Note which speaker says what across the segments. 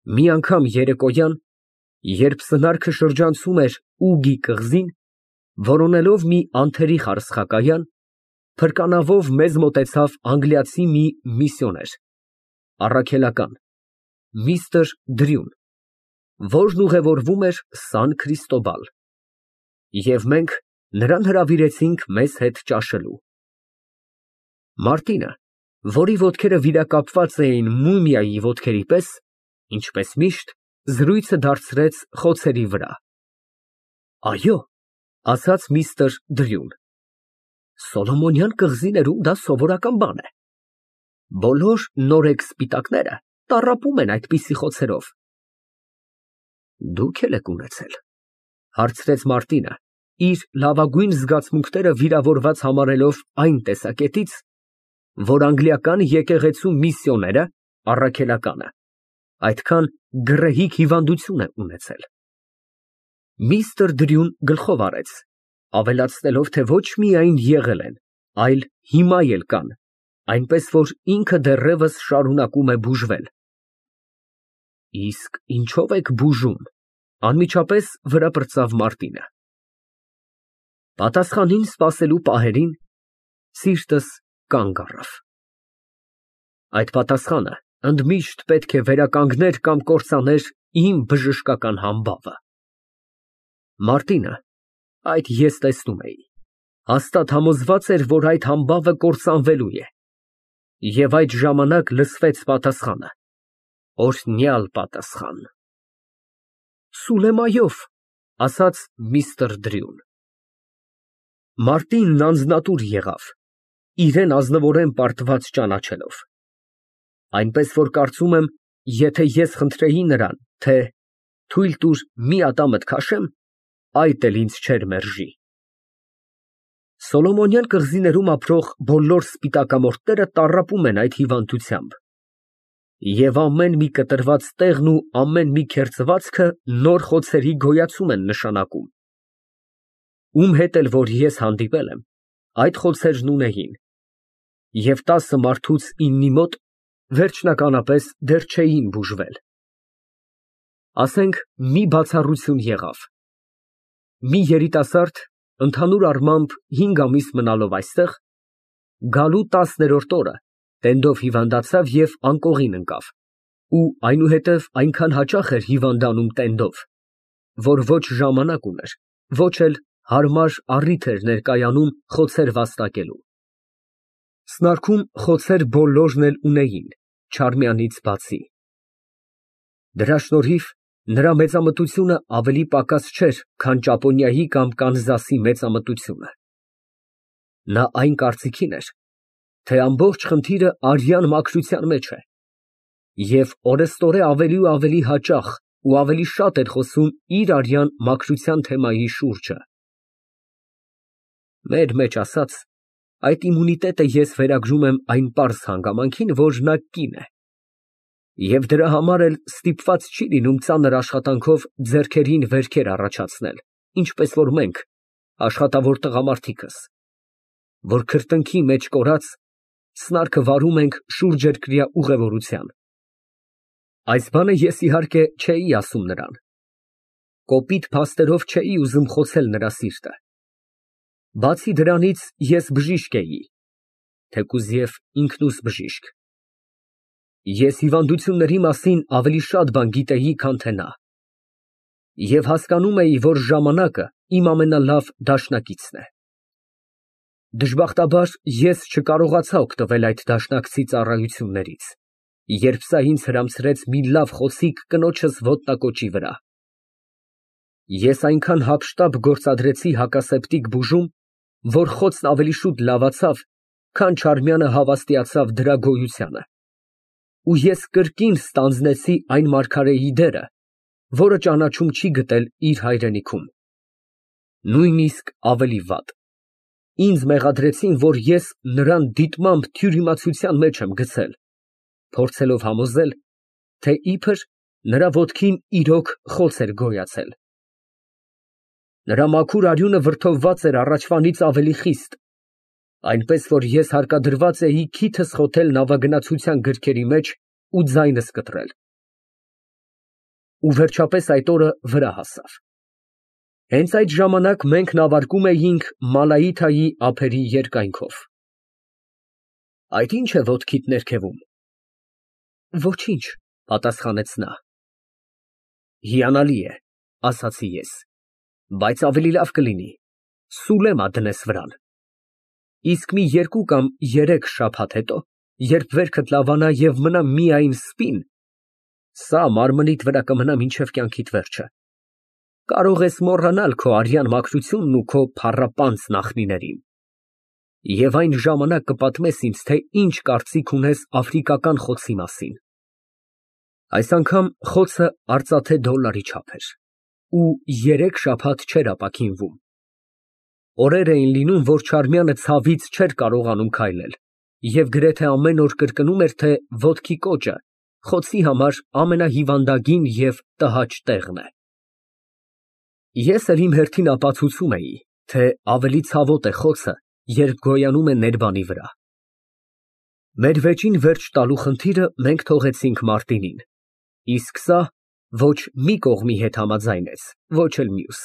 Speaker 1: Մի անգամ երեկոյան, երբ սնարքը շրջանցում էր Ուգի կղզին, որոնելով մի անթերի խարսխակայան, փրկանավով մեզ մոտեցավ անգլիացի մի միսիոներ, առաքելական, միստր Դրյուն, որն ուղևորվում էր Սան Քրիստոբալ, և մենք նրան հրավիրեցինք մեզ հետ ճաշելու։ Մարտինը, որի ոտքերը վիրակապված էին մումիայի ոտքերի պես, ինչպես միշտ, զրույցը դարձրեց խոցերի վրա։ Այո, ասաց միստր Դրյուն, Սոլոմոնյան կղզիներում դա սովորական բան է։ Բոլոր նորեկ սպիտակները տառապում են այդպիսի խոցերով։ Դուք էլ եք ունեցել, հարցրեց Մարտինը, իր լավագույն զգացմունքները վիրավորված համարելով այն տեսակետից, որ անգլիական եկեղեցու միսիոները, առաքելականը, այդքան գռեհիկ հիվանդություն է ունեցել։ Միստր Դրյուն գլխով արեց, ավելացնելով, թե ոչ միայն եղել են, այլ հիմա էլ կան, այնպես որ ինքը դեռևս շարունակում է բուժվել։ Իսկ ինչո՞վ եք բուժում, անմիջապես վրա պրծավ Մարտինը։ Պատասխանին սպասելու պահերին սիրտս կանգ առավ։ Այդ պատասխանը ընդմիշտ պետք է վերականգներ կամ կործաներ իմ բժշկական համբավը։ Մարտինը, այդ ես տեսնում էի, հաստատ համոզված էր, որ այդ համբավը կործանվելու է։ Եվ այդ ժամանակ լսվեց պատասխանը, օրհնյալ պատասխան։ Սուլեմայով, ասաց միստր Դրյուն։ Մարտինն անձնատուր եղավ, իրեն ազնվորեն պարտված ճանաչելով։ Այնպես որ կարծում եմ, եթե ես խնդրեի նրան, թե թույլ տուր մի ատամդ քաշեմ, այդ էլ ինձ չէր մերժի։ Սոլոմոնյան կղզիներում ապրող բոլոր սպիտակամորթները տառապում են այդ հիվանդությամբ, և ամեն մի կտրված տեղն ու ամեն մի քերծվածքը նոր խոցերի գոյացում են նշանակում։ Ում հետ էլ որ ես հանդիպել եմ, այդ խոցերն ունեին, և 10 մարդուց 9-ի մոտ վերջնականապես դեռ չէին բուժվել։ Ասենք, մի բացառություն եղավ։ Մի երիտասարդ, ընդհանուր առմամբ 5 ամիս մնալով այստեղ, գալու 10-րդ օրը տենդով հիվանդացավ և անկողին ընկավ, ու այնուհետև այնքան հաճախ էր հիվանդանում տենդով, որ ոչ ժամանակ ուներ, ոչ էլ հարմար առիթ էր ներկայանում խոցեր վաստակելու։ Սնարքում խոցեր բոլորն էլ ունեին, Չարմյանից բացի։ Դրա շնորհիվ նրա մեծամտությունը ավելի պակաս չէր, քան Ճապոնիայի կամ Կանզասի մեծամտությունը։ Նա այն կարծիքին էր, թե ամբողջ խնդիրը արյան մաքրության մեջ է, և օրեստորե ավելի ու ավելի հաճախ ու ավելի շատ էր խոսում իր արյան մաքրության թեմայի շուրջը։ Մեր մեջ ասած, այդ իմունիտետը ես վերագրում եմ այն պարզ հանգամանքին, որ նա կին է, և դրա համար էլ ստիպված չի լինում ծանր աշխատանքով ձեռքերին վերքեր առաջացնել, ինչպես որ մենք, աշխատավոր տղամարդիկս, որ քրտնքի մեջ կորած, սնարքը վարում ենք շուրջերկրյա ուղևորության։ Այս բանը ես իհարկե չէի ասում նրան, կոպիտ փաստերով չէի ուզում խոցել նրա սիրտը։ Բացի դրանից ես բժիշկ էի, թեկուզ և ինքնուս բժիշկ։ Ես հիվանդությունների մասին ավելի շատ բան գիտեի, քան թե նա, և հասկանում էի, որ ժամանակը իմ ամենալավ դաշնակիցն է։ Դժբախտաբար ես չկարողացա օգտվել այդ դաշնակցի ծառայություններից, երբ սա ինձ հրամցրեց մի լավ խոսիկ կնոջս ոտնակոճի վրա։ Ես այնքան հափշտապ գործադրեցի հակասեպտիկ բուժում, որ խոցն ավելի շուտ լավացավ, քան Չարմյանը հավաստիացավ դրա գոյությանը, ու ես կրկին ստանձնեցի այն մարգարեի դերը, որը ճանաչում չի գտել իր հայրենիքում։ Նույնիսկ ավելի վատ. ինձ մեղադրեցին, որ ես նրան դիտմամբ թյուրիմացության մեջ եմ գցել, փորձելով համոզել, թե իբր նրա ոտքին իրոք խոց էր գոյացել։ Նրա մաքուր արյունը վրդովված էր առաջվանից ավելի խիստ, այնպես որ ես հարկադրված էի քիթս խոթել նավագնացության գրքերի մեջ ու ձայնս կտրել։ ու վերջապես այդ օրը վրա հասավ։ Հենց այդ ժամանակ մենք նավարկում էինք Մալայիթայի ափերի երկայնքով։ Այդ ի՞նչ է ոտքիդ ներքևում։ Ոչինչ, պատասխանեց նա։ Հիանալի է, ասացի ես, բայց ավելի լավ կլինի Սուլեմա դնես վրան։ Իսկ մի 2 կամ 3 շաբաթ հետո, երբ վերքդ լավանա և մնա միայն սպին, սա մարմնիդ վրա կմնա մինչև կյանքիդ վերջը։ Կարող ես մոռանալ քո արյան մաքրությունն ու քո փառապանծ նախնիներին։ Եվ այն ժամանակ կպատմես ինձ, թե ինչ կարծիք ունես աֆրիկական խոցի մասին։ Այս անգամ խոցը արծաթե դոլարի չափ էր ու 3 շաբաթ չէր ապաքինվում։ Օրեր էին լինում, որ Չարմյանը ցավից չէր կարողանում քայլել և գրեթե ամեն օր կրկնում էր, թե ոտքի կոճը խոցի համար ամենահիվանդագին և տհաճ տեղն է։ Ես էլ իմ հերթին ապացուցում էի, թե ավելի ցավոտ է խոցը, երբ գոյանում է ներբանի վրա։ Մեր վեճին վերջ տալու խնդիրը մենք թողեցինք Մարտինին, իսկ սա ոչ մի կողմի հետ համաձայնեց, ոչ էլ մյուս։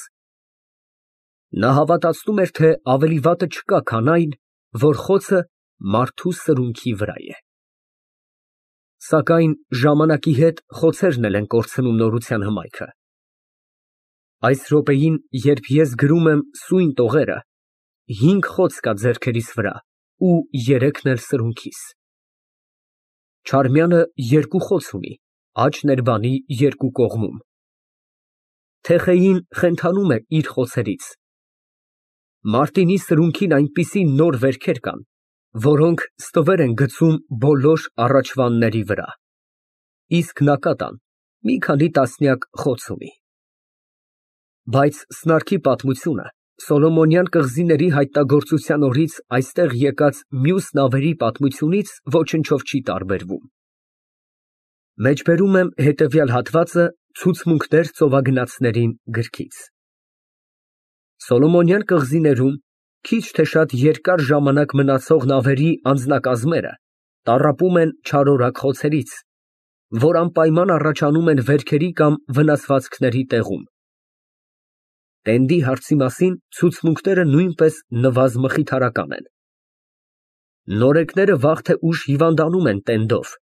Speaker 1: Նա հավատացնում էր, թե ավելի վատը չկա, քան այն, որ խոցը մարդու սրունքի վրա է։ Սակայն ժամանակի հետ խոցերն էլ են կորցնում նորության հմայքը։ Այս րոպեին, երբ ես գրում եմ սույն տողերը, 5 խոց կա ձեռքերիս վրա ու 3-ն էլ սրունքիս։ Չարմյանը 2 խոց ունի, աջ ներբանի 2 կողմում։ Թեխեին խենթանում է իր խոցերից։ Մարտինի սրունքին այնպիսի նոր վերքեր կան, որոնք ստվեր են գցում բոլոր առաջվանների վրա, իսկ Նակատան մի քանի տասնյակ խոց ունի։ Բայց սնարքի պատմությունը Սոլոմոնյան կղզիների հայտնագործության օրից այստեղ եկած մյուս նավերի պատմությունից ոչնչով չի տարբերվում։ Մեջբերում եմ հետևյալ հատվածը ցուցմունքներ ծովագնացներին գրքից։ Սոլոմոնյան կղզիներում քիչ թե շատ երկար ժամանակ մնացող նավերի անձնակազմերը տառապում են չարորակ խոցերից, որ անպայման առաջանում են վերքերի կամ վնասվածքների տեղում։ Տենդի հարցի մասին ցուցմունքները նույնպես նվազմխիթարական են։ Նորեկները վաղ թե ուշ հիվանդանում են տենդով։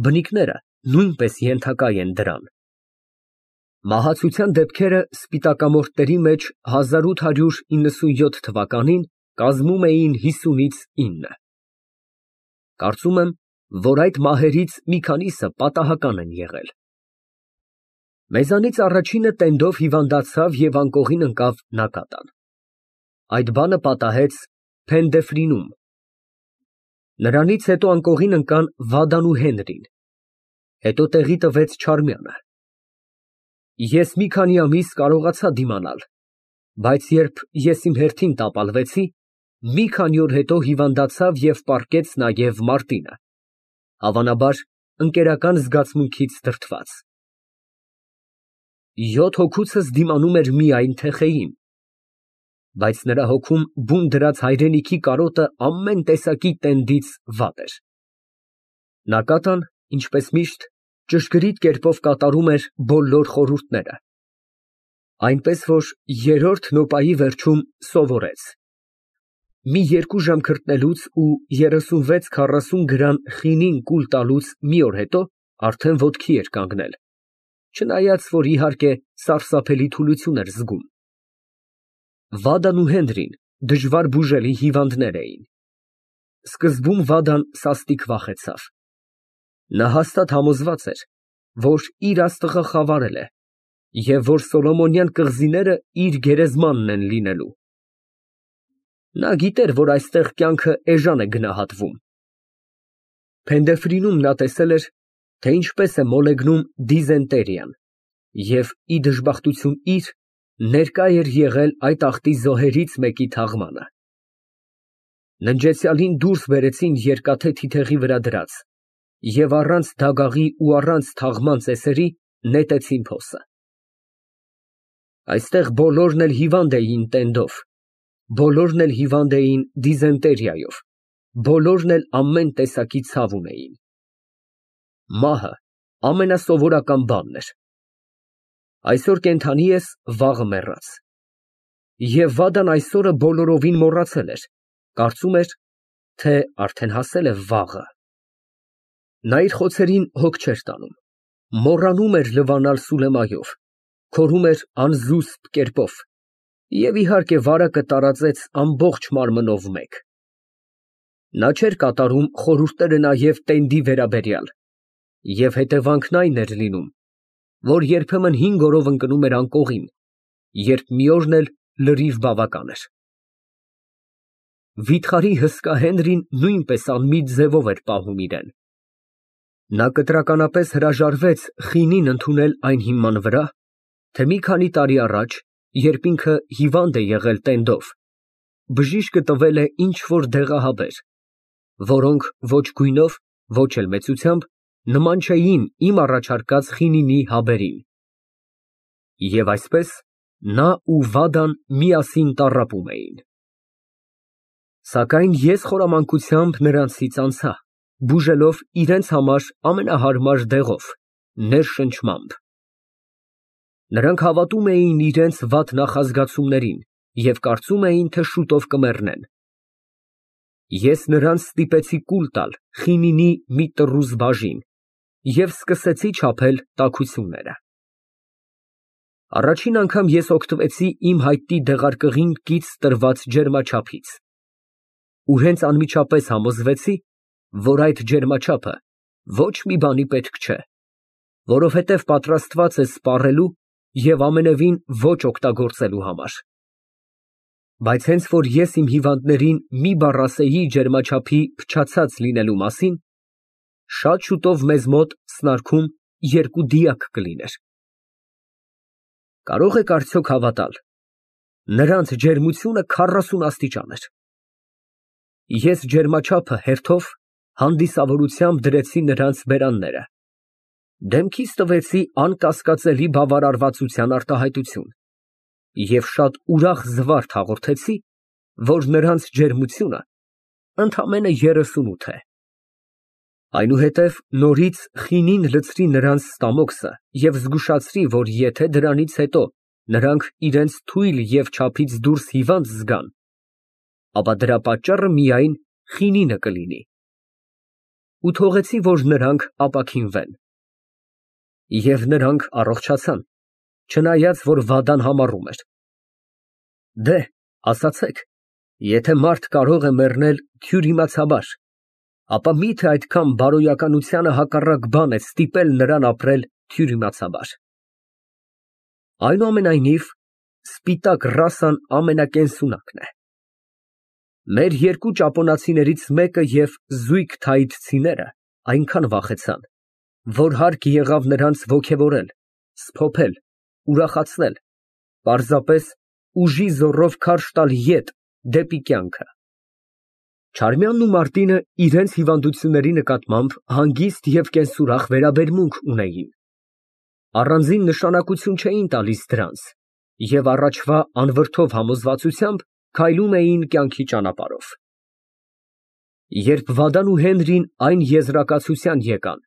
Speaker 1: Բնիկները նույնպես ենթակա են դրան։ Մահացության դեպքերը սպիտակամորթների մեջ 1897 թվականին կազմում էին 50-ից 9։ Կարծում եմ, որ այդ մահերից մի քանիսը պատահական են եղել։ Մեզանից առաջինը տենդով հիվանդացավ և անկողին ընկավ Նակատան։ Այդ բանը պատահեց Փենդեֆրինում։ Նրանից հետո անկողին ընկան Վադան ու Հենրին, հետո տեղի տվեց Չարմյանը։ Ես մի քանի ամիս կարողացա դիմանալ, բայց երբ ես իմ հերթին տապալվեցի, մի քանի օր հետո հիվանդացավ և պառկեց նաև Մարտինը, հավանաբար ընկերական զգացմունքից դրդված։ 7 հոգուցս դիմանում էր միայն Թեխեին, բայց նրա հոգում բուն դրած հայրենիքի կարոտը ամեն տեսակի տենդից վատ էր։ Նակատան, ինչպես միշտ, ճշգրիտ կերպով կատարում էր բոլոր խորհուրդները, այնպես որ երրորդ նոպայի վերջում սովորեց. մի 2 ժամ քրտնելուց ու 36-40 գրամ խինին կուլ տալուց մի օր հետո արդեն ոտքի էր կանգնել, չնայած որ իհարկե սարսափելի թուլություն էր զգում։ Վադան ու Հենրին դժվար բուժելի հիվանդներ էին։ Սկզբում Վադան սաստիկ վախեցավ։ Նա հաստատ համոզված էր, որ իր աստղը խավարել է և որ Սոլոմոնյան կղզիները իր գերեզմանն են լինելու։ Նա գիտեր, որ այստեղ կյանքը էժան է գնահատվում։ Փենդեֆրինում նա տեսել էր, թե ինչպես է մոլեգնում դիզենտերիան և ի դժբախտություն իր ներկա էր եղել այդ աղտի զոհերից մեկի թաղմանը։ Ննջեցյալին դուրս բերեցին երկաթե թիթեղի վրա դրած և առանց դագաղի ու առանց թաղման ծեսերի նետեցին փոսը։ Այստեղ բոլորն էլ հիվանդ էին տենդով, բոլորն էլ հիվանդ էին դիզենտերիայով, բոլորն էլ ամեն տեսակի ցավ ունեին։ Մահը ամենասովորական բանն էր, Այսօր կենդանի ես, վաղը մեռած։ Եվ Վադան այս օրը բոլորովին մոռացել էր, կարծում էր, թե արդեն հասել է վաղը։ Նա իր խոցերին հոգ չէր տանում, մոռանում էր լվանալ Սուլեմայով, քորում էր անզուսպ կերպով և իհարկե վարակը տարածեց ամբողջ մարմնով մեկ։ Նա չէր կատարում խորհուրդները նաև տենդի վերաբերյալ, և հետևանքն այն էր լինում, որ երբեմն 5 օրով ընկնում էր անկողին, երբ մի օրն էլ լրիվ բավական էր։ Վիթխարի հսկա Հենրին նույնպես անմիտ ձևով էր պահում իրեն։ Նա կտրականապես հրաժարվեց խինին ընդունել այն հիման վրա, թե մի քանի տարի առաջ, երբ ինքը հիվանդ է եղել տենդով, բժիշկը տվել է ինչ֊որ դեղահաբեր, որոնք ոչ գույնով, ոչ էլ մեծությամբ նման չէին իմ առաջարկած խինինի հաբերին։ Եվ այսպես նա ու Վադան միասին տառապում էին։ Սակայն ես խորամանկությամբ նրանցից անցա, բուժելով իրենց համար ամենահարմար դեղով, ներշնչմամբ։ Նրանք հավատում էին իրենց վատ նախազգացումներին և կարծում էին, թե շուտով կմեռնեն։ Ես նրանց ստիպեցի կուլ տալ խինինի մի տռուզ բաժին և սկսեցի չափել տաքությունները։ Առաջին անգամ ես օգտվեցի իմ հայտնի դեղարկղին կից տրված ջերմաչափից ու հենց անմիջապես համոզվեցի, որ այդ ջերմաչափը ոչ մի բանի պետք չէ, որովհետև պատրաստված է սպառելու և ամենևին ոչ օգտագործելու համար։ Բայց հենց որ ես իմ հիվանդներին մի բառ ասեի ջերմաչափի փչացած լինելու մասին, շատ շուտով մեզ մոտ սնարքում 2 դիակ կլիներ։ Կարո՞ղ եք արդյոք հավատալ, նրանց ջերմությունը 40 աստիճան էր։ Ես ջերմաչափը հերթով հանդիսավորությամբ դրեցի նրանց բերանները, դեմքիս տվեցի անկասկածելի բավարարվածության արտահայտություն և շատ ուրախ զվարթ հաղորդեցի, որ նրանց ջերմությունը ընդամենը 38 է։ Այնուհետև նորից խինին լցրի նրանց ստամոքսը և զգուշացրի, որ եթե դրանից հետո նրանք իրենց թույլ և չափից դուրս հիվանդ զգան, ապա դրա պատճառը միայն խինինը կլինի, ու թողեցի, որ նրանք ապաքինվեն։ Եվ նրանք առողջացան, չնայած որ Վադան համառում էր. «Դե, ասացեք, եթե մարդ կարող է մեռնել թյուրիմացաբար, ապա մի՞թե այդքան բարոյականությանը հակառակ բան է ստիպել նրան ապրել թյուրիմացաբար»։ Այնուամենայնիվ, սպիտակ ռասան ամենակենսունակն է։ Մեր 2 ճապոնացիներից մեկը և զույգ թայիթցիները այնքան վախեցան, որ հարկ եղավ նրանց ոգևորել, սփոփել, ուրախացնել, պարզապես ուժի զոռով քարշ տալ ետ դեպի կյանքը։ Չարմյանն ու Մարտինը իրենց հիվանդությունների նկատմամբ հանգիստ և կենսուրախ վերաբերմունք ունեին, առանձին նշանակություն չէին տալիս դրանց և առաջվա անվրդով համոզվածությամբ քայլում էին կյանքի ճանապարհով։ Երբ Վադան ու Հենրին այն եզրակացության եկան,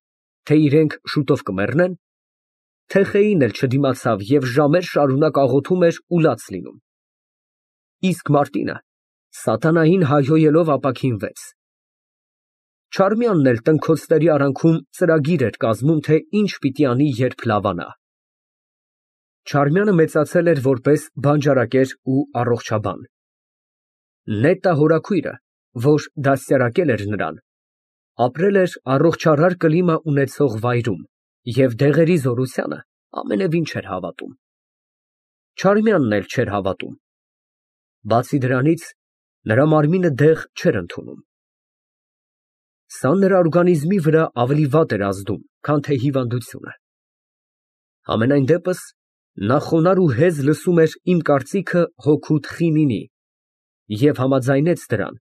Speaker 1: թե իրենք շուտով կմեռնեն, Թեխեին էլ չդիմացավ և ժամեր շարունակ աղոթում էր ու լաց լինում։ Իսկ Մարտինը սատանային հայհոյելով ապաքինվեց։ Չարմյանն էլ տնքոցների արանքում ծրագիր էր կազմում, թե ինչ պիտի անի, երբ լավանա։ Չարմյանը մեծացել էր որպես բանջարակեր ու առողջաբան։ Նետտա հորաքույրը, որ դաստիարակել էր նրան, ապրել էր առողջարար կլիմա ունեցող վայրում և դեղերի զորությանը ամենևին չէր հավատում։ Չարմյանն էլ չէր հավատում։ Բացի դրանից, նրա մարմինը դեղ չէր ընդունում։ Սա նրա օրգանիզմի վրա ավելի վատ էր ազդում, քան թե հիվանդությունը։ Համենայն դեպս, նա խոնարհ ու հեզ լսում էր իմ կարծիքը հօգուտ խինինի և համաձայնեց դրան,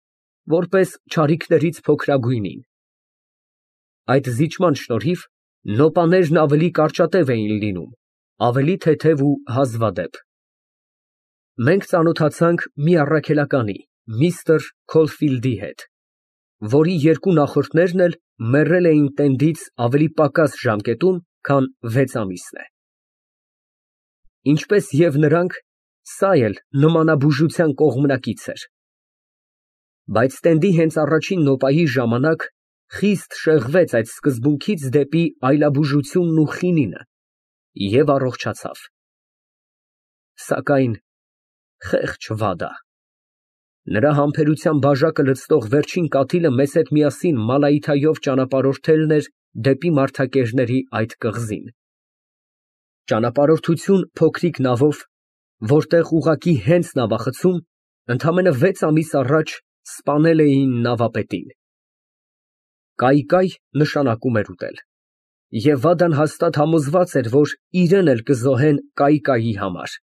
Speaker 1: որպես չարիքներից փոքրագույնին։ Այդ զիջման շնորհիվ նոպաներն ավելի կարճատև էին լինում, ավելի թեթև ու հազվադեպ։ Մենք ծանոթացանք մի առաքելականի, միստր Քոլֆիլդի հետ, որի 2 նախորդներն էլ մեռել էին տենդից ավելի պակաս ժամկետում, քան 6 ամիսն է։ Ինչպես և նրանք, սա էլ նմանաբուժության կողմնակից էր։ Բայց տենդի հենց առաջին նոպայի ժամանակ խիստ շեղվեց այդ սկզբունքից դեպի այլաբուժությունն ու խինինը և առողջացավ։ Սակայն խեղճ վադա, նրա համբերության բաժակը լցնող վերջին կաթիլը մեզ հետ միասին Մալայիթայով ճանապարհորդելն էր դեպի մարդակերների այդ կղզին։ Ճանապարհորդություն փոքրիկ նավով, որտեղ ուղղակի հենց նավախցում, ընդամենը 6 ամիս առաջ սպանել էին նավապետին։ Կայկայ նշանակում էր ուտել, և Վադան հաստատ համոզված էր, որ իրեն էլ կզոհեն կայկայի համար։